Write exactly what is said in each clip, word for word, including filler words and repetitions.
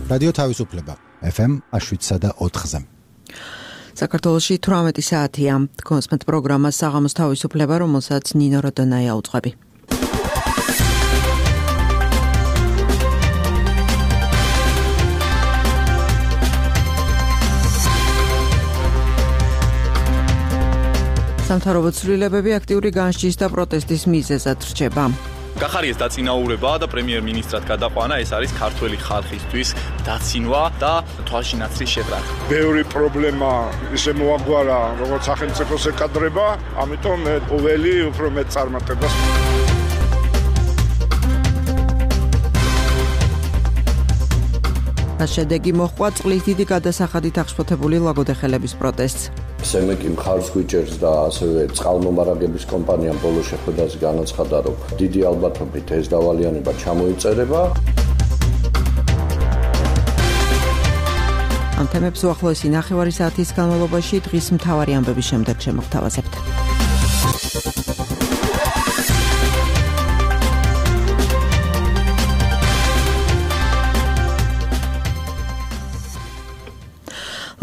რადიო თავისუფლება ეფ ემ შვიდსა და ოთხზე. საქართველოში თვრამეტი საათია. კონსმეთ პროგრამა საღამოს თავისუფლება, რომელსაც ნინო როდონაია უძღვები. სამთავრობო ცვლილებები აქტიური განსჯის და პროტესტის მიზეზად რჩება. გახარიეს დაწინაურება და პრემიერ-მინისტრად გადაყვანა, ეს არის ქართველი ხალხისთვის დაცინვა და თვალში ნაცრის შებრაღ. ბევრი პრობლემა ისე მოაგვარა, როგორც სახელმწიფოს ეკადრება, ამიტომ მე ყოველი უფრო მეტ წარმატებას. შედეგი მოჰყვა წყლის დიდი გადასახადით აღშფოთებული ლაგოდეხელების პროტესტს. სემეკი მხარს გვიჭერს და ასევე წყალმომარაგების კომპანიამ ბოლო შეხვედრაზე განაცხადა, რომ დიდი ალბათობით ეს დავალიანება ჩამოიწერება. ამ თემებს უახლოესი ნახევარი საათის განმავლობაში დღის მთავარი ამბების შემდეგ შემოგთავაზებთ.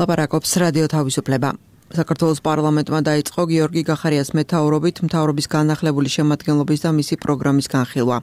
ლაპარაკობს რადიო თავისუფლება. საქართველოს პარლამენტმა დაიწყო გიორგი გახარიას მეთაურობით მთავრობის განახლებული შემადგენლობის და მისი პროგრამის განხილვა.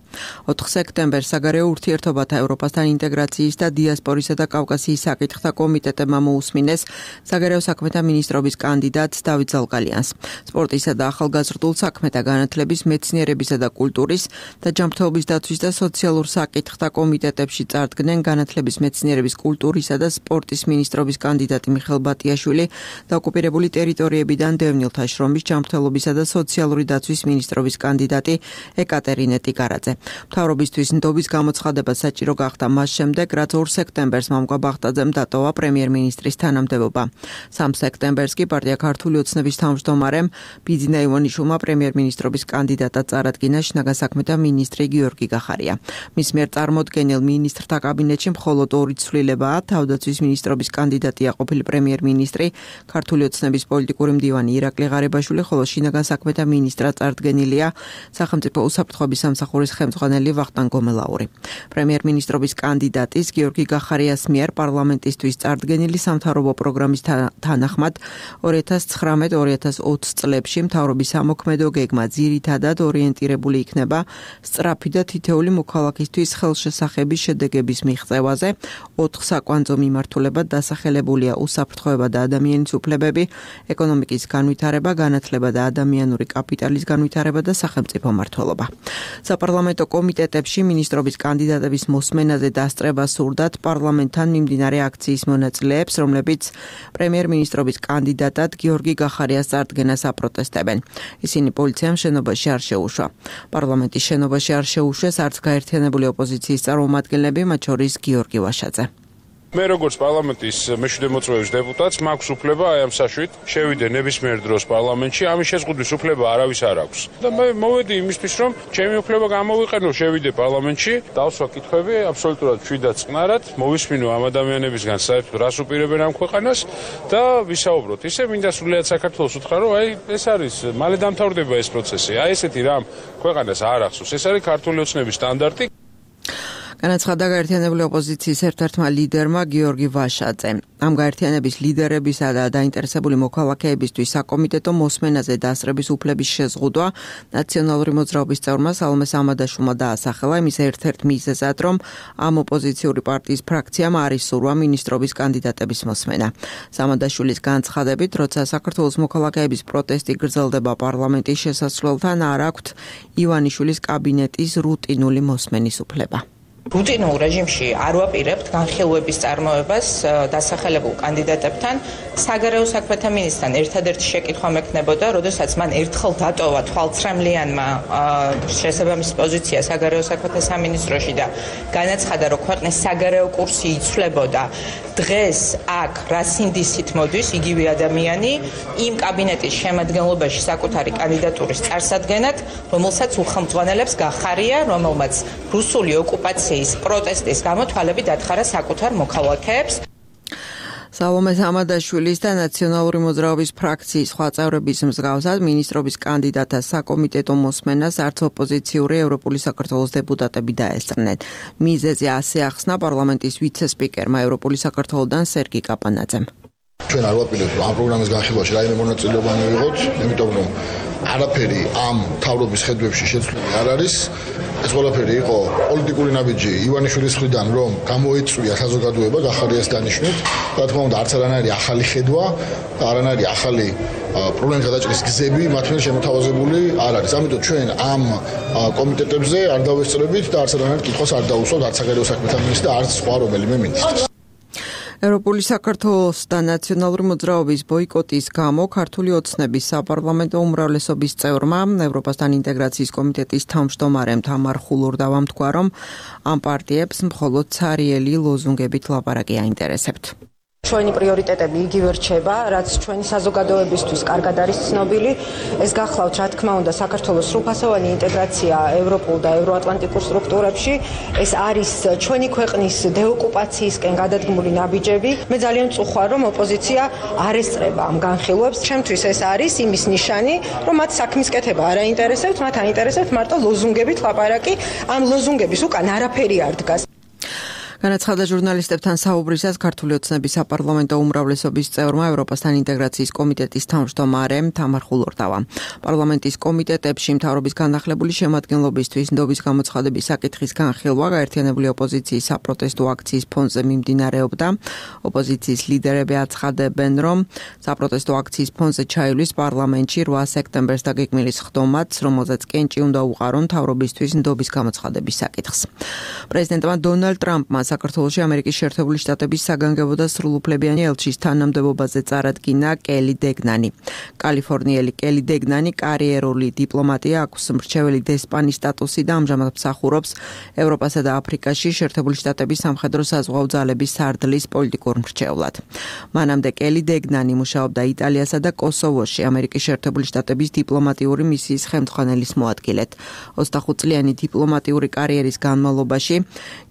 ოთხ სექტემბერს საგარეო ურთიერთობათა ევროპასთან ინტეგრაციის და დიასპორისა და კავკასიის საკითხთა კომიტეტებმა მოусმინეს საგარეო საქმეთა მინისტრობის კანდიდატს დავით ზალგალიანს. სპორტისა და ახალგაზრდულ საქმეთა განათლების, მეცნიერებისა და კულტურის და ჯანმრთელობის დაცვის და სოციალურ საკითხთა კომიტეტებში წარდგნენ განათლების, მეცნიერების, კულტურისა და სპორტის მინისტრობის კანდიდატი მიხეილ ბატიაშვილი და ოკუპირებული ტერიტორიებიდან დევნილთა შრომის, ჯანმრთელობისა და სოციალური დაცვის მინისტრობის კანდიდატი ეკატერინე ტიგარაძე. მთავრობისთვის ნდობის გამოცხადება საჭირო გახდა მას შემდეგ, რაც ორ სექტემბერს მამუკა ბახტაძემ დატოვა პრემიერ-მინისტრის თანამდებობა. სამ სექტემბერს კი პარტია ქართული ოცნების თავმჯდომარემ ბიძინა ივანიშვილმა პრემიერ-მინისტრობის კანდიდატად წარადგინა შინაგან საქმეთა მინისტრი გიორგი გახარია. მის მიერ წარმოდგენილ მინისტრთა კაბინეტში მხოლოდ ორი ცვლილებაა: თავდაცვის მინისტრობის კანდიდატია ყოფილი პრემიერ-მინისტრი, ქართული ოცნების პოლიტიკური მდივანი ირაკლი ღარიბაშვილი, ხოლო შინაგან საქმეთა მინისტრად წარდგენილია სახელმწიფო უსაფრთხოების სამსახურის ხელმძღვანელი ვახტანგ გომელაური. პრემიერ-მინისტრობის კანდიდატის გიორგი გახარიას მიერ პარლამენტისთვის წარდგენილი სამთავრობო პროგრამის თანახმად ორი ათას ცხრამეტ ორი ათას ოცი წლებში მთავრობის ამოქმედო გეგმა ძირითადად ორიენტირებული იქნება სწრაფი და თითეული მოქალაქისთვის ხელშესახების შედეგების მიღწევაზე. ოთხ საკვანძო მიმართულებად დასახელებულია უსაფრთხოება და ადამიანის უფლებები, ეკონომიკის განვითარება, განათლება და ადამიანური კაპიტალის განვითარება და სახელმწიფო მმართველობა. საპარლამენტო კომიტეტებში მინისტრობის კანდიდატების მოსმენაზე დასწრება სურდათ პარლამენტთან მიმდინარე აქციის მონაწილეებს, რომლებიც პრემიერ-მინისტრობის კანდიდატად გიორგი გახარიას წარდგენას აპროტესტებენ. ისინი პოლიციამ შენობაში არ შეუშვა. პარლამენტის შენობაში არ შეუშვეს არც გაერთიანებული ოპოზიციის წარმომადგენლები, მათ შორის გიორგი ვაშაძე. მე როგორც პარლამენტის მეშვიდე მოწვევის დეპუტატს მაქვს უფლება აი ამ საშვით შევიდე ნებისმიერ დროს პარლამენტში, ამის შეზღუდვის უფლება არავის არ აქვს. და მე მოვედი იმისთვის, რომ ჩემი უფლება გამოვიყენო, შევიდე პარლამენტში, დავსვა კითხვები აბსოლუტურად მშვიდად წყნარად, მოვისმინო ამ ადამიანებისგან საერთოდ რას უპირებენ ამ ქვეყანას და ვისაუბროთ. ისე მინდა სრულიად საქართველოს უთხრა, რომ აი ეს არის მალე დამთავრდება ეს პროცესი. აი ესეთი რამ ქვეყანას არ ახსოვს. ეს არის ქართული ოცნების სტანდარტი. განაცხადა გაერთიანებული ოპოზიციის ერთ-ერთმა ლიდერმა გიორგი ვაშაძემ. ამ გაერთიანების ლიდერებისა და დაინტერესებული მოქალაქეებისთვის საკომიტეტო მოსმენაზე დასწრების უფლების შეზღუდვა ნაციონალური მოძრაობის წევრმა სალომე სამადაშვილმა დაასახელა იმის ერთ-ერთ მიზეზად, რომ ამ ოპოზიციური პარტიის ფრაქციამ არ ისურვა მინისტრობის კანდიდატების მოსმენა. სამადაშვილის განცხადებით, როცა საქართველოს მოქალაქეების პროტესტი გრძელდება პარლამენტის შესასვლელთან, არ აქვთ ივანიშვილის კაბინეტის რუტინული მოსმენის უფლება. რუტინულ რეჟიმში არ ვაპირებთ განხილვების წარმოებას დასახელებულ კანდიდატებთან. საგარეო საქმეთა მინისტრთან ერთადერთი შეკითხვა მექნებოდა, როდესაც მან ერთხელ დატოვა თვალცრემლიანმა შესაბამისი პოზიცია საგარეო საქმეთა სამინისტროში და განაცხადა, რომ ქვეყნის საგარეო კურსი იცვლებოდა. დღეს აქ რა სინდისით მოდის იგივე ადამიანი იმ კაბინეტის შემადგენლობაში საკუთარი კანდიდატურის წარსადგენად, რომელსაც უხელმძღვანელებს გახარია, რომელმაც რუსული ოკუპაციის პროტესტის გამო თვალები დათხარა საკუთარ მოქალაქეებს. სალომე სამადაშვილის და ნაციონალური მოძრაობის ფრაქციის სხვა წევრების მსგავსად მინისტრობის კანდიდატთა საკომიტეტო მოსმენას არც ოპოზიციური ევროპული საქართველოს დეპუტატები დაესწრნენ. მიზეზი ასე ახსნა პარლამენტის ვიცე-სპიკერმა ევროპული საქართველოდან სერგი კაპანაძემ. ჩვენ არ ვაპირებთ ამ პროგრამის განხილვაში რაიმე მონაწილეობა მივიღოთ, იმიტომ რომ არაფერი ამ თავრობის ხედვებში შეცვლილი არ არის. ეს ყველაფერი იყო პოლიტიკური ნაბიჯი ივანიშვილის მხრიდან, რომ გამოიწვია საზოგადოება გახარიას დანიშვნით. რა თქმა უნდა, არც არანაირი ახალი ხედვა, არანაირი ახალი პრობლემის გადაჭრის გზები მათ მიერ შემოთავაზებული არ არის. ამიტომ ჩვენ ამ კომიტეტებზე არ დავესწრებით და არც არანაირ კითხვას არ დავუსვათ არც საგარეო საქმეთა მინისტრს და არც სხვა რომელიმე მინისტრს. ევროპული საქართველოს და ნაციონალური მოძრაობის ბოიკოტის გამო ქართული ოცნების საპარლამენტო უმრავლესობის წევრმა ევროპასთან ინტეგრაციის კომიტეტის თავმჯდომარემ თამარ ხულურდავამ თქვა, რომ ამ პარტიებს მხოლოდ ცარიელი ლოზუნგებით ლაპარაკი აინტერესებთ. ჩვენი პრიორიტეტები იგივე რჩება, რაც ჩვენი საზოგადოებისთვის კარგად არის ცნობილი. ეს გახლავთ, რა თქმა უნდა, საქართველოს სრულფასოვანი ინტეგრაცია ევროპულ და ევროატლანტიკურ სტრუქტურებში. ეს არის ჩვენი ქვეყნის დეოკუპაციისკენ გადადგმული ნაბიჯები. მე ძალიან მწუხარ, რომ ოპოზიცია არ ესწრება ამ განხილვებს. ჩემთვის ეს არის იმის ნიშანი, რომ მათ საქმის კეთება არ აინტერესებთ, მათ აინტერესებთ მარტო ლოზუნგებით ლაპარაკი. ამ ლოზუნგების უკან არაფერი არ დგას. განაცხადა ჟურნალისტებთან საუბრისას ქართული ოცნების საპარლამენტო უმრავლესობის წევრმა ევროპასთან ინტეგრაციის კომიტეტის თავმჯდომარემ თამარ ხულურდავამ. პარლამენტის კომიტეტებში მთავრობის განახლებული შემადგენლობისთვის ნდობის გამოცხადების საკითხის განხილვა გაერთიანებული ოპოზიციის საპროტესტო აქციის ფონზე მიმდინარეობდა. ოპოზიციის ლიდერები აცხადებენ, რომ საპროტესტო აქციის ფონზე ჩაივლის პარლამენტში რვა სექტემბერს დაგეგმილი სხდომაც, რომელზეც კენჭი უნდა უყარონ მთავრობისთვის ნდობის გამოცხადების საკითხს. პრეზიდენტმა დონალდ ტრამპმა საქართველოში ამერიკის შეერთებული შტატების საგანგებო და სრულუფლებიანი ელჩის თანამდებობაზე წარადგინა კელი დეგნანი. კალიფორნიელი კელი დეგნანი კარიერული დიპლომატია, აქვს მრჩეველი დესპანის სტატუსი და ამჟამად მსახურობს ევროპასა და აფრიკაში შეერთებული შტატების სამხედრო საზღვაო ძალების სარდლის პოლიტიკურ მრჩევლად. მანამდე კელი დეგნანი მუშაობდა იტალიასა და კოსოვოში ამერიკის შეერთებული შტატების დიპლომატიური მისიის ხელმძღვანელის მოადგილედ. ოცდახუთწლიანი დიპლომატიური კარიერის განმავლობაში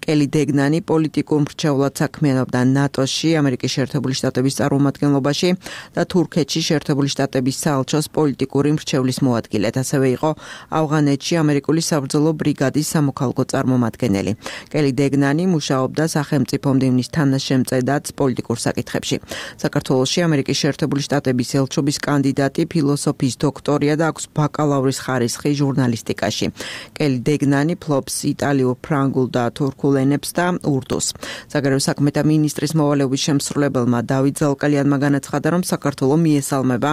კელი დეგნანი პოლიტიკურ მრჩევლად საქმიანობდა ნატოში, ამერიკის შეერთებული შტატების წარმომადგენლობაში და თურქეთში შეერთებული შტატების საელჩოს პოლიტიკური მრჩევლის მოადგილედ. ასევე იყო ავღანეთში ამერიკული საბრძოლო ბრიგადის სამოქალაქო წარმომადგენელი. კელი დეგნანი მუშაობდა სახელმწიფო მდივნის თანაშემწედად პოლიტიკურ საკითხებში. საქართველოში ამერიკის შეერთებული შტატების ელჩობის კანდიდატი, ფილოსოფიის დოქტორია და აქვს ბაკალავრის ხარისხი ჟურნალისტიკაში. კელი დეგნანი ფლობს იტალიურ, ფრანგულ და თურქულ ენებს და ურდუს. საგარეო საქმეთა მინისტრის მოვალეობის შემსრულებელმა დავით ზალკალიანმა განაცხადა, რომ საქართველო მიესალმება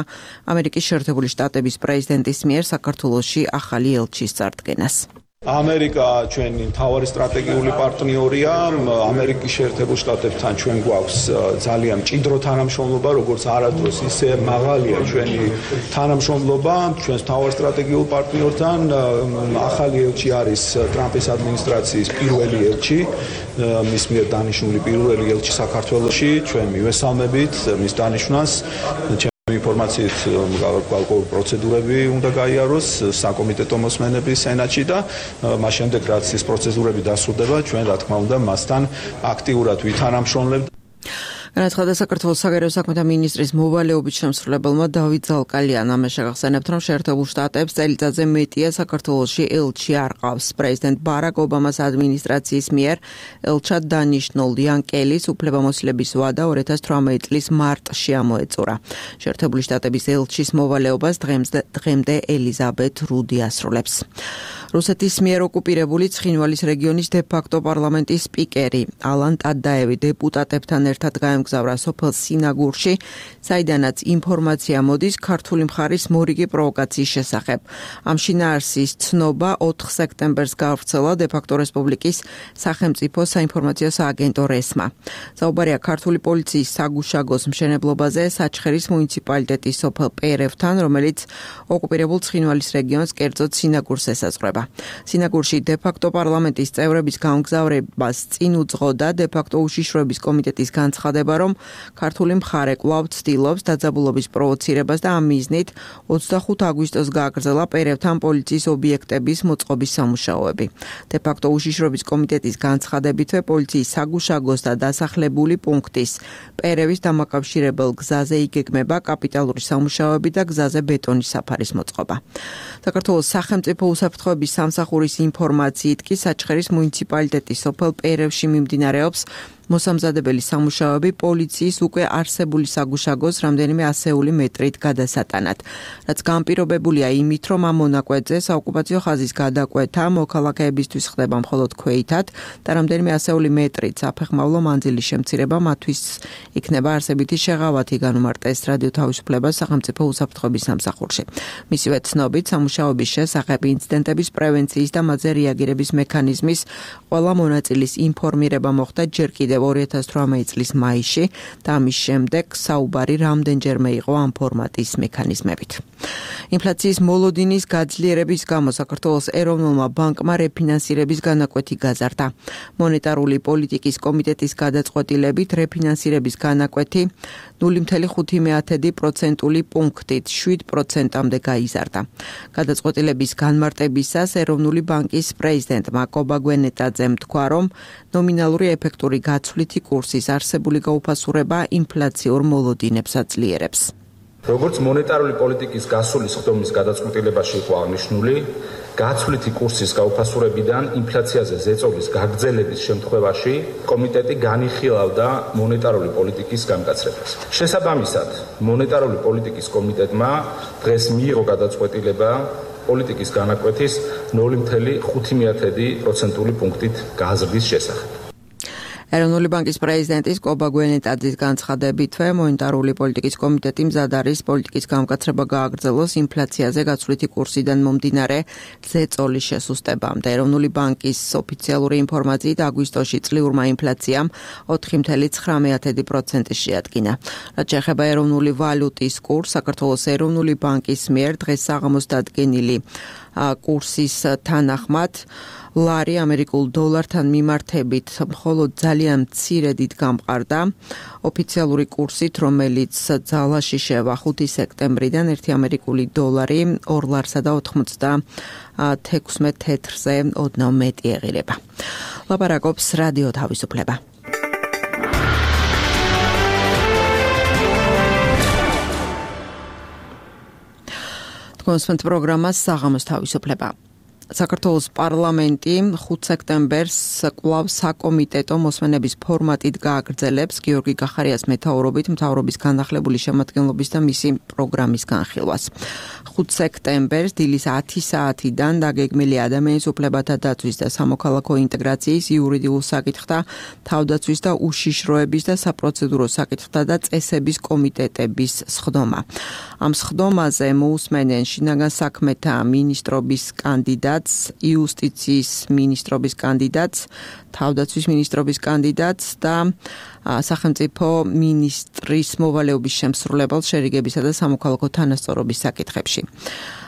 ამერიკის შეერთებული შტატების პრეზიდენტის მიერ საქართველოში ახალი ელჩის წარდგენას. ამერიკა ჩვენი მთავარი სტრატეგიული პარტნიორია. ამერიკის შეერთებულ შტატებთან ჩვენ გვაქვს ძალიან მჭიდრო თანამშრომლობა, როგორც არასდროს ისე მაღალია ჩვენი თანამშრომლობა ჩვენს მთავარ სტრატეგიულ პარტნიორთან. ახალი ელჩი არის ტრამპის ადმინისტრაციის პირველი ელჩი, მის მიერ დანიშნული პირველი ელჩი საქართველოში. ჩვენ მივესალმებით მის დანიშვნას. ინფორმაციით გარკვეული პროცედურები უნდა გაიაროს საკომიტეტო მოსმენები სენატში და მას შემდეგ რაც ეს პროცედურები დასრულდება, ჩვენ რა თქმა უნდა მასთან აქტიურად ვითანამშრომლებთ. განაცხადა საქართველოს საგარეო საქმეთა მინისტრის მოვალეობის შემსრულებელმა დავით ზალკალიანმა. შეგახსენებთ, რომ შეერთებულ შტატებს წელიწადზე მეტია საქართველოში ელჩი არ ყავს. პრეზიდენტ ბარაკ ობამას ადმინისტრაციის მიერ ელჩად დანიშნულ იან კელის უფლებამოსილების ვადა ორი ათას თვრამეტი წლის მარტში ამოეწურა. შეერთებული შტატების ელჩის მოვალეობას დღემდე ელიზაბეთ რუდი ასრულებს. რუსეთის მიერ ოკუპირებული ცხინვალის რეგიონის დე-ფაქტო პარლამენტის სპიკერი ალან ტადაევი დეპუტატებთან ერთად გაემგზავრა სოფელ სინაგურში, საიდანაც ინფორმაცია მოდის ქართული მხარის მორიგი პროვოკაციის შესახებ. ამ შინაარსის ცნობა ოთხ სექტემბერს გავრცელა დე-ფაქტო რესპუბლიკის სახელმწიფო საინფორმაციო სააგენტო რესმა. საუბარია ქართული პოლიციის საგუშაგოს მშენებლობაზე საჩხერის მუნიციპალიტეტის სოფელ პერევთან, რომელიც ოკუპირებულ ცხინვალის რეგიონს, კერძოდ სინაგურს ესაზღვრება. სინაგურში დე-ფაქტო პარლამენტის წევრების გამგზავრებას წინ უძღოდა დე-ფაქტო უშიშროების კომიტეტის განცხადება, რომ ქართული მხარე კვლავ ცდილობს დაძაბულობის პროვოცირებას და ამ მიზნით ოცდახუთი აგვისტოს გააგრძელა პერევთან პოლიციის ობიექტების მოწყობის სამუშაოები. De facto უშიშრობის კომიტეტის განცხადებითვე პოლიციის საგუშაგოს და დასახლებული პუნქტის პერევის დამაკავშირებელ გზაზე იგეგმება კაპიტალური სამუშაოები და გზაზე ბეტონის საფარის მოწყობა. საქართველოს სახელმწიფო უსაფრთხოების სამსახურის ინფორმაციით კი საჩხერის მუნიციპალიტეტის სოფელ პერევში მიმდინარეობს მოსამზადებელი სამუშაოები პოლიციის უკვე არსებული საგუშაგოს რამდენიმე ასეული მეტრით გადასატანად, რაც განპირობებულია იმით, რომ ამ მონაკვეთზე საოკუპაციო ხაზის გადაკვეთა მოქალაქეებისთვის ხდება მხოლოდ ქვეითად და რამდენიმე ასეული მეტრით საფეხმავლო მანძილის შემცირება მათთვის იქნება არსებითი შეღავათი, განუმარტეს რადიო თავისუფლებას სახელმწიფო უსაფრთხოების სამსახურში. მისივე ცნობით, სამუშაოების შესახებ ინციდენტების პრევენციის და მათზე რეაგირების მექანიზმის ყველა მონაწილის ინფორმირება მოხდა ჯერ კიდევ ორი ათას ათვრამეტი წლის მაისში და ამის შემდეგ საუბარი რამდენჯერმე იყო ამ ფორმატის მექანიზმებით. ინფლაციის მოლოდინის გაძლიერების გამო საქართველოს ეროვნულმა ბანკმა რეფინანსირების განაკვეთი გაზარდა. მონეტარული პოლიტიკის კომიტეტის გადაწყვეტილებით რეფინანსირების განაკვეთი ნული კoma ხუთი პროცენტული პუნქტით შვიდ პროცენტამდე გაიზარდა. გადაწყვეტილების განმარტებისას ეროვნული ბანკის პრეზიდენტმა კობა გვენეტაძემ თქვა, რომ ნომინალური ეფექტური გაცვლითი კურსის არსებული გაუფასურება ინფლაციურ მოლოდინებს აძლიერებს. როგორც მონეტარული პოლიტიკის გასული სხდომის გადაწყვეტილებაში იყო აღნიშნული, გაცვლითი კურსის გაუფასურებიდან ინფლაციაზე ზეწოლის გაგრძელების შემთხვევაში კომიტეტი განიხილავდა მონეტარული პოლიტიკის გამკაცრებას. შესაბამისად, მონეტარული პოლიტიკის კომიტეტმა დღეს მიიღო გადაწყვეტილება პოლიტიკის განაკვეთის ნული კoma ხუთი პროცენტული პუნქტით გაზრდის შესახებ. ეროვნული ბანკის პრეზიდენტის კობა გვენეტაძის განცხადებითვე მონეტარული პოლიტიკის კომიტეტი მზად არის პოლიტიკის გამკაცრება გააგრძელოს ინფლაციაზე გაცვლითი კურსიდან მომდინარე ზეწოლის შესუსტებამდე. ეროვნული ბანკის ოფიციალური ინფორმაციით აგვისტოში წლიურმა ინფლაციამ ოთხი კoma ცხრამეტი პროცენტი შეადგინა. რაც შეეხება ეროვნული ვალუტის კურსს, საქართველოს ეროვნული ბანკის მიერ დღეს საღამოს დადგენილი კურსის თანახმად ლარი ამერიკულ დოლართან მიმართებით მხოლოდ ძალიან მცირედით გამყარდა ოფიციალური კურსით, რომელიც ძალაში შევა ხუთი სექტემბრიდან ერთი ამერიკული დოლარი ორ ლარსა და ოცდაექვსმეტ თეთრზე ოდნავ მეტი ეღირება. ლაპარაკობს რადიო თავისუფლება. კონსპენთ პროგრამას საღამოს თავისუფლება. საქართველოს პარლამენტი ხუთი სექტემბერს კვლავ საკომიტეტო მოსმენების ფორმატით გააგრძელებს გიორგი გახარიას მეთაურობით მთავრობის განახლებული შემადგენლობის და მისი პროგრამის განხილვას. ხუთი სექტემბერს დილის ათი საათიდან დაგეგმილია ადამიანის უფლებათა დაცვის და სამოქალაქო ინტეგრაციის იურიდიულ საკითხთა, თავდაცვის და უშიშროების და საპროცედურო საკითხთა და წესების კომიტეტების სხდომა. ამ სხდომაზე მოусმენენ შინაგან საქმეთა მინისტრობის კანდიდატ იუსტიციის მინისტრობის კანდიდატს, თავდაცვის მინისტრობის კანდიდატს და სახელმწიფო მინისტრის მოვალეობის შემსრულებელს შერიგებისა და სამოქალაქო თანასწორობის საკითხებში.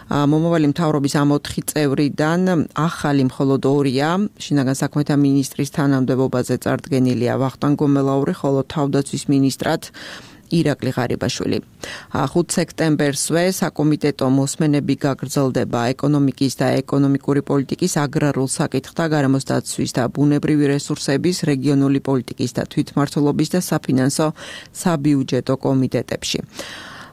მომავალი მთავრობის ამ ოთხი წევრიდან ახალი მხოლოდ ორია, შინაგან საქმეთა მინისტრის თანამდებობაზე წარდგენილია ვახტანგ გომელაური, ხოლო თავდაცვის მინისტრად ირაკლი ღარიბაშვილი. ხუთი სექტემბერსვე საკომიტეტო მოსმენები გაგრძელდება ეკონომიკის და ეკონომიკური პოლიტიკის, აგრარულ საკითხთა, გარემოს დაცვის და ბუნებრივი რესურსების, რეგიონული პოლიტიკის და თვითმმართველობის და საფინანსო საბიუჯეტო კომიტეტებში.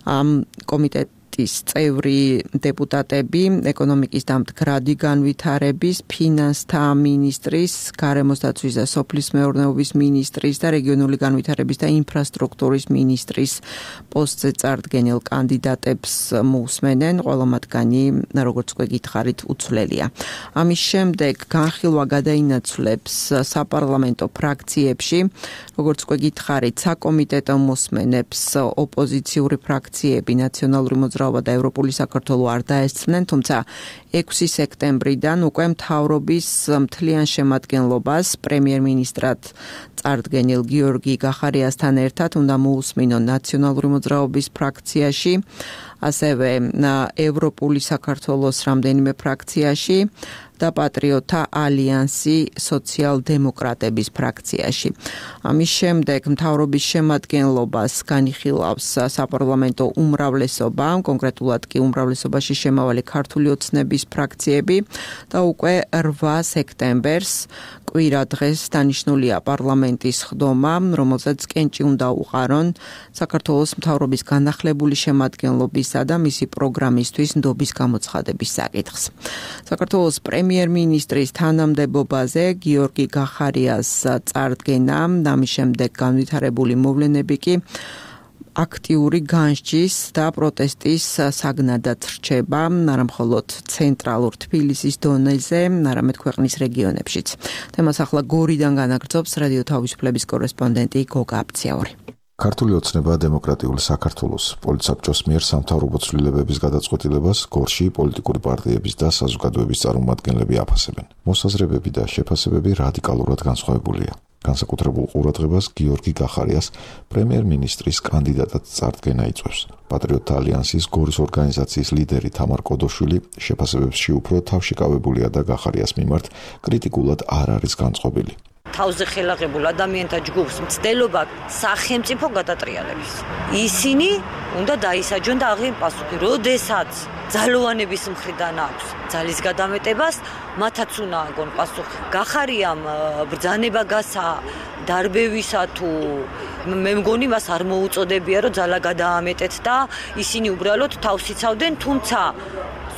ამ კომიტეტ წევრი დეპუტატები ეკონომიკის და მდგრადი განვითარების, ფინანსთა მინისტრის, გარემოს დაცვის და სოფლის მეურნეობის მინისტრის და რეგიონული განვითარების და ინფრასტრუქტურის მინისტრის პოსტზე წარდგენილ კანდიდატებს მოусმენენ, ყველა მათგანი, როგორც უკვე გითხარით, უცვლელია. ამის შემდეგ განხილვა გადაინაცვლებს საპარლამენტო ფრაქციებში, როგორც უკვე გითხარით, საკომიტეტო მოსმენებს ოპოზიციური ფრაქციები, ნაციონალური მოძრაობა და ევროპული საქართველო არ დაესწრნენ, თუმცა ექვსი სექტემბრიდან უკვე მთავრობის მთლიან შემადგენლობას პრემიერ-მინისტრად წარდგენილ გიორგი გახარიასთან ერთად უნდა მოусმინონ ნაციონალური მოძრაობის ფრაქციაში ასევე ევროპული საქართველოს რამდენიმე ფრაქციაში და პატრიოტთა ალიანსი სოციალ-დემოკრატების ფრაქციაში. ამის შემდეგ მთავრობის შემადგენლობას განიხილავს საპარლამენტო უმრავლესობა, კონკრეტულად კი უმრავლესობაში შემავალი ქართული ოცნების ფრაქციები და უკვე რვა სექტემბერს კვირა დღეს დანიშნულია პარლამენტის ხდომა, რომელზეც კენჭი უნდა უყარონ საქართველოს მთავრობის განახლებული შემადგენლობისა და მისი პროგრამისთვის ნდობის გამოცხადების საკითხს. საქართველოს პრემიერ-მინისტრის თანამდებობაზე გიორგი გახარიას წარდგენა, ამის შემდეგ განვითარებული მოვლენები კი აქტიური განსჯის და პროტესტის საგნადად რჩება, არა მხოლოდ ცენტრალურ თბილისის დონეზე, არამედ ქვეყნის რეგიონებშიც. თემას ახლა გორიდან განაგრძობს რადიო თავისუფლების კორესპონდენტი გოგა აბციაური. ქართული ოცნება დემოკრატიული საქართველოს პოლიტსაბჭოს მიერ სამთავრობო ცვლილებების გადაწყვეტილებას გორში პოლიტიკური პარტიების და საზოგადოების წარმომადგენლები აფასებენ. მოსაზრებები და შეფასებები რადიკალურად განსხვავებულია. განსაკუთრებულ ყურადღებას გიორგი გახარიას პრემიერ-მინისტრის კანდიდატად წარდგენა იწვევს. პატრიოტთა ალიანსის გორის ორგანიზაციის ლიდერი თამარ კოდოშვილი შეფასებებში უფრო თავშეკავებულია და გახარიას მიმართ კრიტიკულად არ არის განწყობილი. თავზე ხელაღებულ ადამიანთა ჯგუფს მცდელობა სახელმწიფო გადატრიალების. ისინი უნდა დაისაჯონ და აღიარონ პასუხი, როდესაც ძალოვანების მხრიდან აქვს ძალის გადამეტებას, მათაც უნდა აგონ პასუხი. გახარიამ ბრძანება გასა დარბევისა თუ მე მგონი მას არ მოუწოდებია რომ ძალა გადაამეტეთ და ისინი უბრალოდ თავს იცავდნენ, თუმცა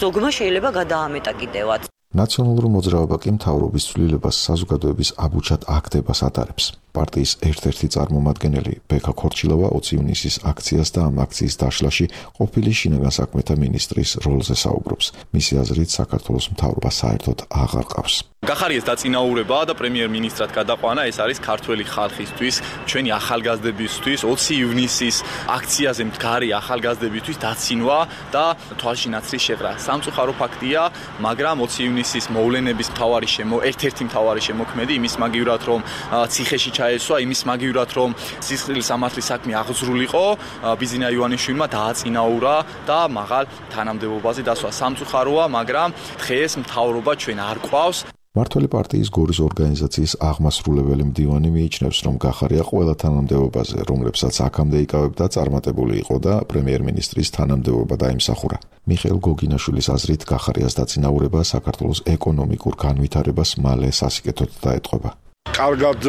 ზოგმა შეიძლება გადაამეტა კიდევაც. ნაციონალური მოძრაობა კი მთავრობის ცვლილებას საზოგადოების აბუჩად აქტებას ატარებს. პარტიის ერთ-ერთი წარმომადგენელი ბექა ქორჩილავა ოცი ივნისის აქციას და ამ აქციის დაშლაში ყოფილი შინაგან საქმეთა მინისტრის როლზე საუბრობს. მისი აზრით საქართველოს მთავრობა საერთოდ აღარ ყავს. გახარიას დაწინაურება და პრემიერ-მინისტრად გადაყვანა ეს არის ქართველი ხალხისთვის, ჩვენი ახალგაზრდებისთვის, ოცი ივნისის აქციაზე მდგარი ახალგაზრდებისთვის დაცინვა და თვალში ნაცრის შეღრა. სამწუხარო ფაქტია, მაგრამ ოცი ივნისის მოვლენების მთავარი შემო ერთ-ერთი მთავარი შემოქმედი იმის მაგივრად რომ ციხეში ჩაესვა, იმის მაგივრად რომ სისხლის სამართლის საქმე აღძრულიყო, ბიზინა ივანიშვილმა დააწინაურა და მაღალ თანამდებობაზე დასვა. სამწუხაროა, მაგრამ დღეს მთავრობა ჩვენ არ ყავს. მართველი პარტიის გორის ორგანიზაციის აღმასრულებელი მდივანი მიიჩნევს, რომ გახარია ყველა თანამდებობაზე, რომლებსაც აქამდე იკავებდა, წარმატებული იყო და პრემიერ-მინისტრის თანამდებობა დაიმსახურა. მიხეილ გოგინაშვილის აზრით, გახარიას დაწინაურება საქართველოს ეკონომიკურ განვითარებას მალე სასიკეთოდ დაეტყობა. კარგად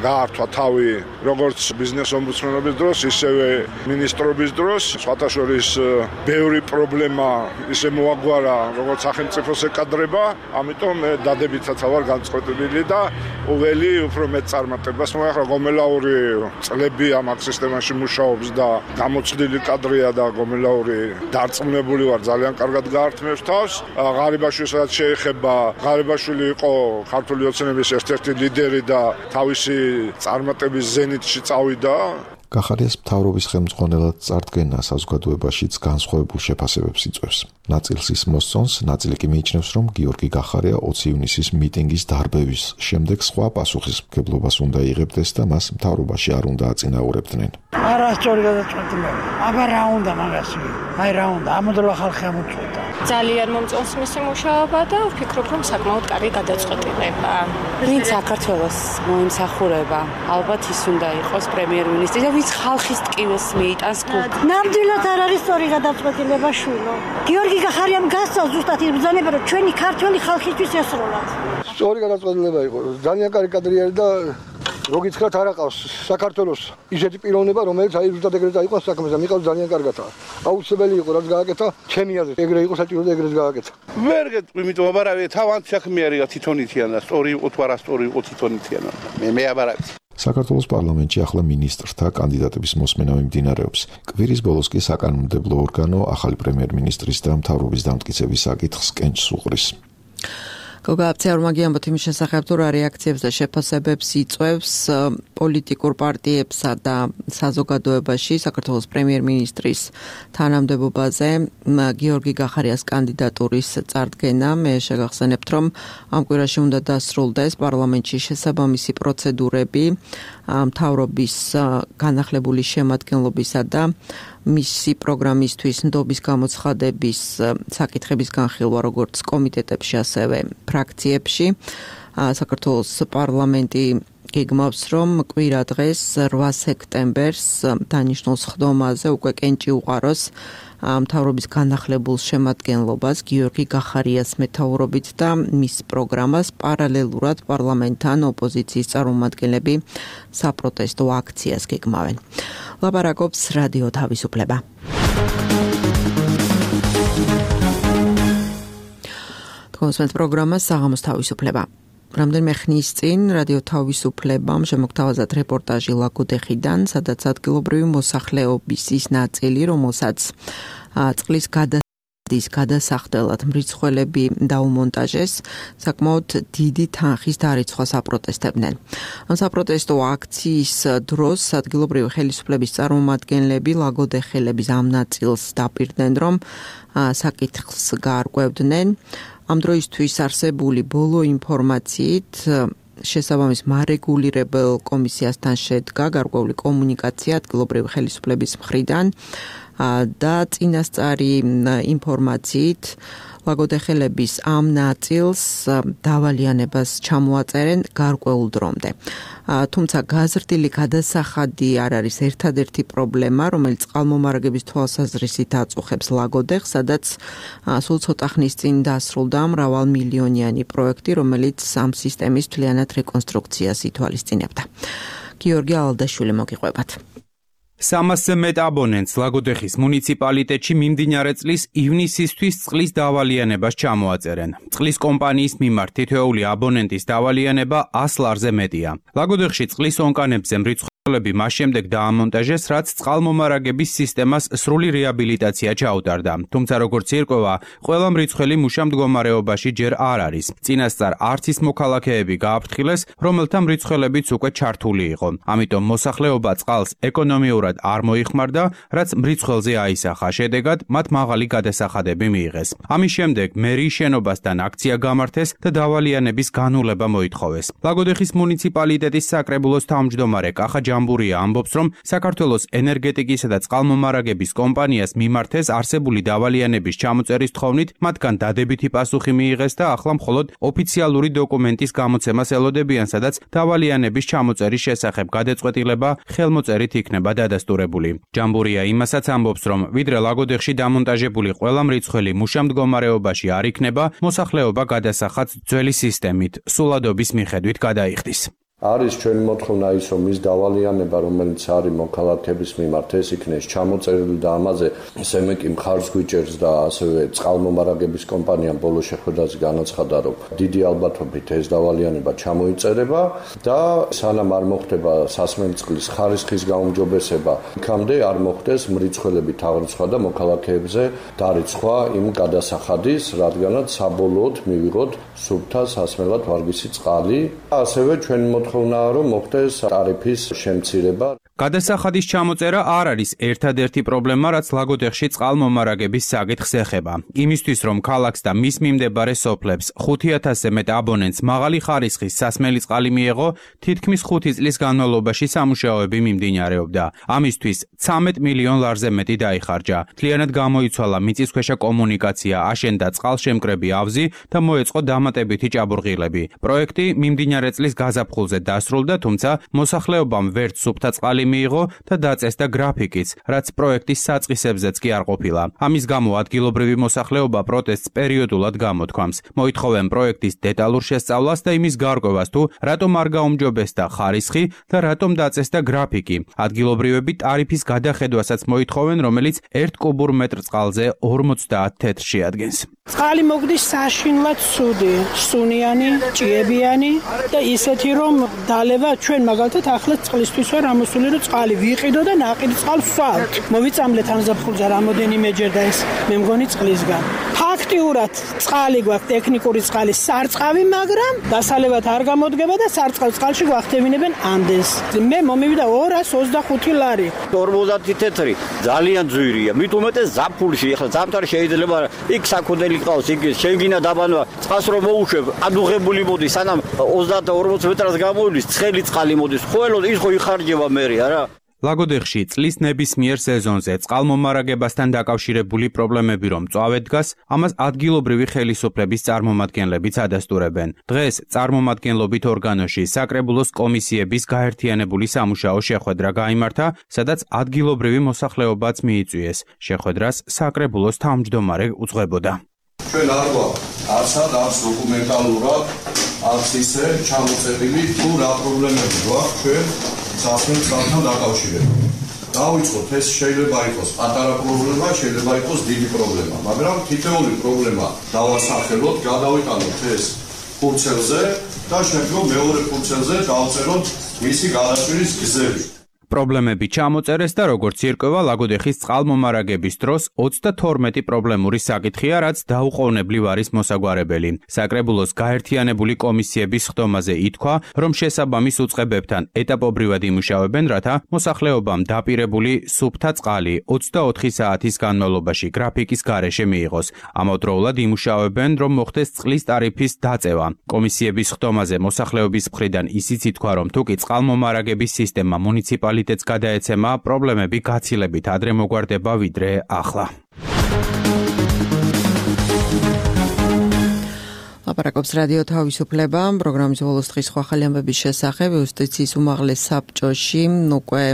გაართვა თავი როგორც ბიზნეს ომბუდსმენობის დროს, ისევე მინისტრობის დროს. სხვათა შორის ბევრი პრობლემა ისე მოაგვარა, როგორც სახელმწიფოს ეკადრება, ამიტომ დადებითაც ვარ განწყობილი და ოველი უფრო მეტ წარმატებას მოახერხა. გომელაური წლები ამ აქ სისტემაში მუშაობს და გამოცდილი კადრია და გომელაური დარწმუნებული ვარ, ძალიან კარგად გაართმევს თავს. ღარიბაშვილსაც შეეხება, ღარიბაშვილი იყო ქართული ოცნების ერთ-ერთი ლიდერი და თავისი წარმატების ზენიტში წავიდა. გახარიას მთავრობის ხელმძღვანელად წარდგენა საზოგადოებაშიც განსხვავებულ შეფასებებს იწვევს. ნაწილს ის მოსწონს, ნაწილი კი მიიჩნევს, რომ გიორგი გახარია ოცი ივნისის მიტინგის დარბევის შემდეგ სხვა პასუხისმგებლობას უნდა იღებდეს და მას მთავრობაში არ უნდა აწინაურებდნენ. არასწორი გადაწყვეტილება. აბა რა უნდა მაგაში? აი რა უნდა? ამოდროა ხალხი ამოწყვეტა. ძალიან მომწონს მისი მუშაობა და ვფიქრობ, რომ საკმაოდ კარგი გადაწყვეტილება. ვინც საქართველოს მოიმსახურება, ალბათ ის უნდა იყოს პრემიერ-მინისტრი და ვინც ხალხის ტკივეს მიიტანს გულს. ნამდვილად არ არის სწორი გადაწყვეტილება შვილო. გიორგი გახარიამ გასწავს ზუსტად ის ბრძანება, რომ ჩვენი ქართველი ხალხისთვის ესროლათ. სწორი გადაწყვეტილება იყო. ძალიან კარგი კადრია და როგიცხრათ არ აყავს საქართველოს ისეთი პიროვნება, რომელიც აი ზუსტად ეგრე დაიყვანს საქმეს და მიყავს ძალიან კარგად. აუცილებელი იყო რაც გააკეთა, ჩემი აზრით ეგრე იყო საჭირო და ეგრეც გააკეთა. ვერ გეტყვი, იმიტომ აბარავე თავად საქმე არის თვითონითიან და სწორი იყო თუ არა სწორი იყო თვითონითიან. მე მე აბარავე საქართველოს პარლამენტში ახლა მინისტრთა კანდიდატების მოსმენა მიმდინარეობს. კვირის ბოლოს კი საკანონმდებლო ორგანო ახალი პრემიერ-მინისტრის და მთავრობის დამტკიცების საკითხს კენჭს უყრის. გოგა აბციაურმა გიამბოთ იმის შესახებ, თუ რა რეაქციებს და შეფასებებს იწვევს პოლიტიკურ პარტიებსა და საზოგადოებაში საქართველოს პრემიერ-მინისტრის თანამდებობაზე გიორგი გახარიას კანდიდატურის წარდგენა. მე შეგახსენებთ, რომ ამ კვირაში უნდა დასრულდეს პარლამენტში შესაბამისი პროცედურები მთავრობის განახლებული შემადგენლობისა და მისი პროგრამისთვის ნდობის გამოცხადების საკითხების განხილვა როგორც კომიტეტებში, ასევე ფრაქციებში. საქართველოს პარლამენტი გეგმავს, რომ კვირა დღეს რვა სექტემბერს დანიშნულს ხდომაზე უკვე კენჭი უყაროს მთავრობის განახლებულ შემადგენლობას გიორგი გახარიას მეთაურობით და მის პროგრამას პარალელურად პარლამენტთან ოპოზიციის წარმომადგენლები საპროტესტო აქციას გეგმავენ. ლაპარაკობს რადიო თავისუფლება. თქვენს პროგრამას საღამოს თავისუფლება. რამდენიმე ხნის წინ რადიო თავისუფლებამ შემოგთავაზა რეპორტაჟი ლაგოდეხიდან, სადაც ადგილობრივი მოსახლეობის ის ნაწილი, რომელსაც წყლის გადასახადის გადასახდელად მრიცხველები დაუმონტაჟეს, საკმაოდ დიდი თანხის დარიცხვას აპროტესტებდნენ. ამ საპროტესტო აქციის დროს ადგილობრივი ხელისუფლების წარმომადგენლები ლაგოდეხელების ამ ნაწილს დაპირდნენ, რომ საკითხს გაარკვევდნენ. ამ დროისთვის არსებული ბოლო ინფორმაციით შესაბამის მარეგულირებელ კომისიასთან შედგა გარკვეული კომუნიკაცია ადგილობრივი ხელისუფლების მხრიდან და წინასწარი ინფორმაციით ლაგოდეხელების ამ ნაწილს დავალიანებას ჩამოაწერენ გარკვეულ დრომდე. თუმცა გაზრდილი გადასახადი არ არის ერთადერთი პრობლემა, რომელიც წყალმომარაგების თვალსაზრისით აწუხებს ლაგოდეხს, სადაც სულ ცოტა ხნის წინ დასრულდა მრავალმილიონიანი პროექტი, რომელიც ამ სისტემის მთლიანად რეკონსტრუქციას ითვალისწინებდა. გიორგი ალდაშვილი მოგიყვებათ. სამასზე მეტ აბონენტს ლაგოდეხის მუნიციპალიტეტში მიმდინარე წლის ივნისისთვის წყლის დავალიანებას ჩამოაწერენ. წყლის კომპანიის მიმართ თითოეული აბონენტის დავალიანება ას ლარზე მეტია. ლაგოდეხში წყლის ონკანებზე მრიცხველები მას შემდეგ დაამონტაჟეს, რაც წყალმომარაგების სისტემას სრული რეაბილიტაცია ჩაუტარდა. თუმცა როგორც ირკვევა, ყველა მრიცხველი მუშა მდგომარეობაში ჯერ არ არის. წინასწარ არც ის მოქალაქეები გააფრთხილეს, რომელთა მრიცხველებიც უკვე ჩართული იყო. ამიტომ მოსახლეობა წყალს ეკონომიურად არ მოიხმარდა, რაც მრიცხველზე აისახა. შედეგად მათ მაღალი გადასახადები მიიღეს. ამის შემდეგ მერიის შენობასთან აქცია გამართეს და დავალიანების განულება მოითხოვეს. ლაგოდეხის მუნიციპალიტეტის საკრებულოს თავმჯდომარე კახა ჯამბურია ამბობს, რომ საქართველოს ენერგეტიკისა და წყალმომარაგების კომპანიას მიმართეს არსებული დავალიანების ჩამოწერის თხოვნით, მათგან დადებითი პასუხი მიიღეს და ახლა მხოლოდ ოფიციალური დოკუმენტის გამოცემას ელოდებიან, სადაც დავალიანების ჩამოწერის შესახებ გადაწყვეტილება ხელმოწერით იქნება დადასტურებული. ჯამბურია იმასაც ამბობს, რომ ვიდრე ლაგოდეხში დამონტაჟებული ყველა მრიცხველი მუშა მდგომარეობაში არ იქნება, მოსახლეობა გადასახადს ძველი სისტემით, სულადობის მიხედვით გადაიხდის. არის ჩვენი მოთხოვნა ის, რომ ის დავალიანება, რომელიც არის მოქალაქეების მიმართ, ეს იქნეს ჩამოწერილი და ამაზე სემეკი მხარს გვიჭერს და ასევე წყალმომარაგების კომპანიამ ბოლო შეხვედრაზე განაცხადა, რომ დიდი ალბათობით ეს დავალიანება ჩამოიწერება და სანამ არ მოხდება სასმელი წყლის ხარისხის გაუმჯობესება, იქამდე არ მოხდეს მრიცხველებით აღრიცხვა და მოქალაქეებზე დარიცხვა იმ გადასახადის, რადგანაც საბოლოოდ მივიღოთ სუფთა სასმელად ვარგისი წყალი. ასევე ჩვენი მოთხოვნაა, რომ მოხდეს ტარიფის შემცირება. გადასახადის ჩამოწერა არ არის ერთადერთი პრობლემა, რაც ლაგოდეხში წყალმომარაგების საკითხს ეხება. იმისთვის, რომ ქალაქს და მის მიმდებარე სოფლებს ხუთი ათასზე მეტ აბონენტს მაღალი ხარისხის სასმელი წყალი მიეღო, თითქმის ხუთი წლის განმავლობაში სამუშაოები მიმდინარეობდა. ამისთვის ცამეტ მილიონ ლარზე მეტი დაიხარჯა. მთლიანად გამოიცვალა მიწისქვეშა კომუნიკაცია, აშენდა წყალშემკრები ავზი და მოეწყო დამატებითი ჭაბურღილები. პროექტი მიმდინარე წლის გაზაფხულზე დასრულდა, თუმცა მოსახლეობამ ვერც სუფთა წყალი მიიღო და დაწესდა გრაფიკიც, რაც პროექტის საწყისებზეც კი არ ყოფილა. ამის გამო ადგილობრივი მოსახლეობა პროტესტს პერიოდულად გამოთქვამს. მოითხოვენ პროექტის დეტალურ შესწავლას და იმის გარკვევას, თუ რატომ არ გაუმჯობესდა ხარისხი და რატომ დაწესდა გრაფიკი. ადგილობრივები ტარიფის გადახედვასაც მოითხოვენ, რომელიც ერთ კუბურ მეტრ წყალზე ორმოცდაათ თეთრს შეადგენს. წყალი მოგდის საშინლად ცუდი, სუნიანი, ჭიებიანი და ისეთი რომ დალევა ჩვენ მაგალითად ახლა წყლისთვის ვარ ამოსული, რომ წყალი ვიყიდო და ნაყიდ წყალს ვსვავთ. მოვიწამლეთ ამ ზაფხულზე რამოდენიმეჯერ და ეს მე მგონი წყლისგან. ფაქტიურად წყალი გვაქვს, ტექნიკური წყალი, სარწყავი, მაგრამ დასალევად არ გამოდგება და სარწყავ წყალში გვახდევინებენ ამდენს. მე მომივიდა ორას ოცდახუთი ლარი. ორმოცდაათი თეთრი ძალიან ძვირია. მით უმეტეს ზაფხულში, ახლა ზამთარი შეიძლება იქ საქონელი ყავს, იქ შევგინა დაბანვა, წყალს რომ მოუშვებ, ადუღებული მოდის, სანამ ოცდაათ ორმოცდაათ მეტრას გამოვლის, ცხელი წყალი მოდის. ხოლო ის ხო იხარჯება მერე, არა? ლაგოდეხში წლის ნებისმიერ სეზონზე წყალმომარაგებასთან დაკავშირებული პრობლემები რომ მწვავედ დგას, ამას ადგილობრივი ხელისუფლების წარმომადგენლებიც ადასტურებენ. დღეს წარმომადგენლობით ორგანოში საკრებულოს კომისიების გაერთიანებული სამუშაო შეხვედრა გაიმართა, სადაც ადგილობრივი მოსახლეობაც მიიწვიეს. შეხვედრას საკრებულოს თავმჯდომარე უძღვებოდა. ჩვენ არ გვაქვს არცად არც დოკუმენტალურად, არც ისე ჩამოწერილი თუ რა პრობლემები გვაქვს ჩვენ სასმელ წყალთან დაკავშირებით. დავიწყოთ, ეს შეიძლება იყოს პატარა პრობლემა, შეიძლება იყოს დიდი პრობლემა, მაგრამ თითოეული პრობლემა დავასახელოთ, გადავიტანოთ ეს ფურცელზე და შემდგომ მეორე ფურცელზე დავწეროთ მისი გადაჭრის გზები. პრობლემები ჩამოწერეს და როგორც ირკვევა ლაგოდეხის წყალმომარაგების დროს ოცდათორმეტი პრობლემური საკითხია, რაც დაუყოვნებლივ არის მოსაგვარებელი. საკრებულოს გაერთიანებული კომისიების ხდომაზე ითქვა, რომ შესაბამის უწყებებთან ეტაპობრივად იმუშავებენ, რათა მოსახლეობამ დაპირებული სუფთა წყალი ოცდაოთხი საათის განმავლობაში გრაფიკის გარეშე მიიღოს. ამავდროულად იმუშავებენ, რომ მოხდეს წყლის ტარიფის დაწევა. კომისიების ხდომაზე მოსახლეობის მხრიდან ისიც ითქვა, რომ თუკი წყალმომარაგების სისტემა მუნიციპალიტეტს გადაეცემა, პრობლემები გაცილებით ადრე მოგვარდება ვიდრე ახლა. ლაპარაკობს რადიო თავისუფლება, პროგრამის ბოლოს დღის სხვა ახალი ამბების შესახებ იუსტიციის უმაღლეს საბჭოში უკვე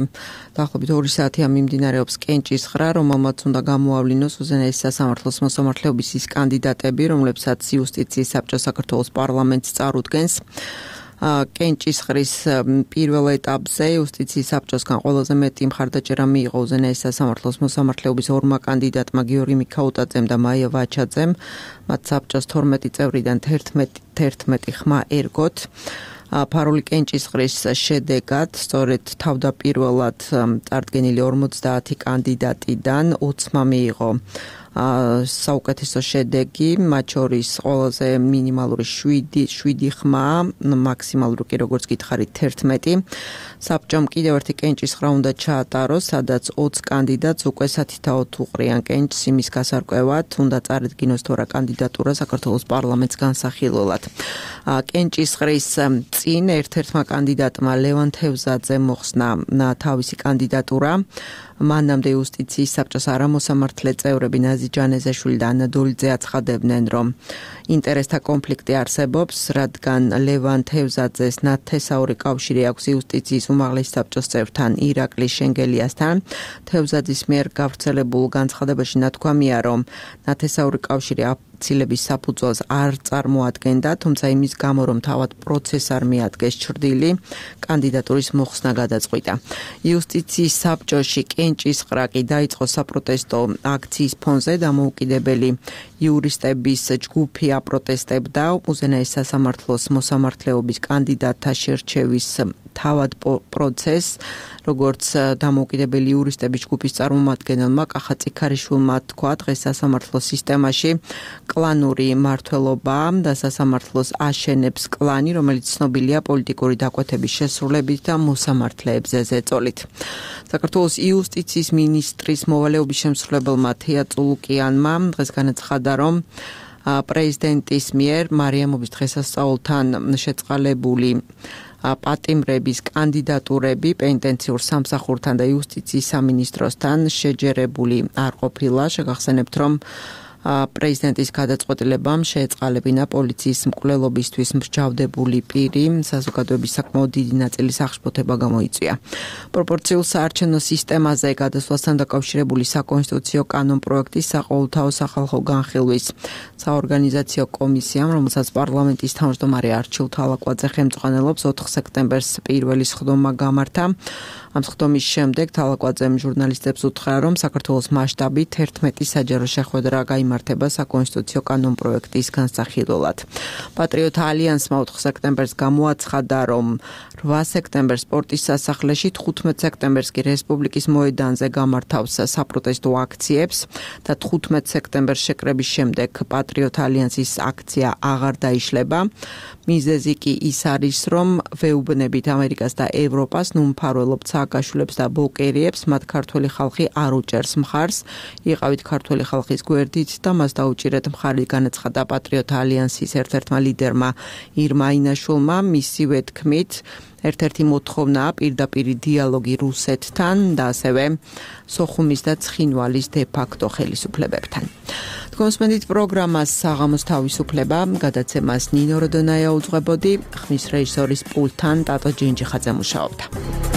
დაახლოებით ორი საათია მიმდინარეობს კენჭისხრა, რომელმაც უნდა გამოავლინოს უზენაესი სასამართლოს მოსამართლეობის ის კანდიდატები, რომლებსაც იუსტიციის საბჭო საქართველოს პარლამენტს წარუდგენს. კენჭისხრის პირველ ეტაპზე იუსტიციის საბჭოსგან ყველაზე მეტი მხარდაჭერა მიიღო უზენაესი სასამართლოს მოსამართლეობის ორმა კანდიდატმა გიორგი მიქაუტაძემ და მაია ვაჩაძემ. მათ საბჭოს თორმეტი წევრიდან თერთმეტი ხმა ერგოთ. ფარული კენჭისხრის შედეგად სწორედ თავდაპირველად წარდგენილი ორმოცდაათი კანდიდატიდან ოცმა მიიღო საუკეთესო შედეგი, მათ შორის ყველაზე მინიმალური შვიდი ხმა, მაქსიმალური კი როგორც გითხარით თერთმეტი. საბჭომ კიდევ ერთი კენჭისხრა უნდა ჩაატაროს, სადაც ოცი კანდიდატს უკვე სათითაოდ უყრიან კენჭს იმის გასარკვევად, უნდა წარედგინოს თუ რა კანდიდატურა საქართველოს პარლამენტს განსახილველად. კენჭისხრის წინ ერთ-ერთმა კანდიდატმა ლევან თევზაძემ მოხსნა თავისი კანდიდატურა. მანამდე იუსტიციის საბჭოს არამოსამართლე წევრები ნაზი ჯანეზაშვილი და ანა დოლიძე აცხადებდნენ, რომ ინტერესთა კონფლიქტი არსებობს, რადგან ლევან თევზაძეს ნათესაური კავშირი აქვს იუსტიციის უმაღლეს საბჭოს წევრთან ირაკლი შენგელიასთან. თევზაძის მიერ გავრცელებულ განცხადებაში ნათქვამია, რომ ნათესაური კავშირი ცილების საფუძველს არ წარმოადგენდა, თუმცა იმის გამო, რომ თავად პროცესს არ მიადგეს ჩრდილი, კანდიდატურის მოხსნა გადაწყვიტა. იუსტიციის საბჭოში კენჭისყრა კი დაიწყო საპროტესტო აქციის ფონზე, დამოუკიდებელი იურისტების ჯგუფი აპროტესტებდა უზენაეს სასამართლოს მოსამართლეობის კანდიდატთა შერჩევის თავად პროცესს, როგორც დამოუკიდებელი იურისტების ჯგუფის წარმომადგენელმა კახა წიქარიშვილმა თქვა, დღეს სასამართლოს სისტემაში კლანური მმართველობა და სასამართლოს აშენებს კლანი, რომელიც ცნობილია პოლიტიკური დაკვეთების შესრულებით და მოსამართლეებზე ზეწოლით. საქართველოს იუსტიციის მინისტრის მოვალეობის შემსრულებელმა თეა წულუკიანმა დღეს განაცხადა, რომ პრეზიდენტის მიერ მარიამობის დღესასწაულთან შეწყალებული პატიმრების კანდიდატურები პენიტენციურ სამსახურთან და იუსტიციის სამინისტროსთან შეჯერებული არ ყოფილა. შეგახსენებთ, რომ პრეზიდენტის გადაწყვეტილებამ შეეწყალებინა პოლიციის მკვლელობისთვის მსჯავრდებული პირი, საზოგადოების საკმაოდ დიდი ნაწილის აღშფოთება გამოიწვია. პროპორციულ საარჩევნო სისტემაზე გადასვლასთან დაკავშირებული საკონსტიტუციო კანონპროექტის საყოველთაო სახალხო განხილვის საორგანიზაციო კომისიამ, რომელსაც პარლამენტის თავმჯდომარე არჩილ თალაკვაძე ხელმძღვანელობს, ოთხ სექტემბერს პირველი სხდომა გამართა. ამ სხდომის შემდეგ თალაკვაძემ ჟურნალისტებს უთხრა, რომ საქართველოს მასშტაბით ერთმეტი საჯარო შეხვედრა გაიმართება საკონსტიტუციო კანონპროექტის განსახილველად. პატრიოტთა ალიანსმა ოთხ სექტემბერს გამოაცხადა, რომ რვა სექტემბერს სპორტის სასახლეში, თხუთმეტ სექტემბერს კი რესპუბლიკის მოედანზე გამართავს საპროტესტო აქციებს და თხუთმეტ სექტემბერს შეკრების შემდეგ პატრიოტთა ალიანსის აქცია აღარ დაიშლება. მიზეზი კი ის არის, რომ ვეუბნებით ამერიკას და ევროპას, ნუ მფარველობთ სააკაშვილებს და ბოკერიებს, მათ ქართველი ხალხი არ უჭერს მხარს. იყავით ქართველი ხალხის გვერდით და მას დაუჭირეთ მხარი განაცხადა პატრიოტ ალიანსის ერთ-ერთმა ლიდერმა ირმა ინაშვილმა. მისივე თქმით, ერთ-ერთი მოთხოვნაა პირდაპირი დიალოგი რუსეთთან და ასევე სოხუმის და ცხინვალის დე-ფაქტო ხელისუფლებებთან. კონსმენდით პროგრამას საღამოს თავისუფლება გადაცემას ნინო როდონაია უძღვებოდი, ხმის რეჟისორის პულტთან ტატო ჯინჯიხაძე მუშაობდა.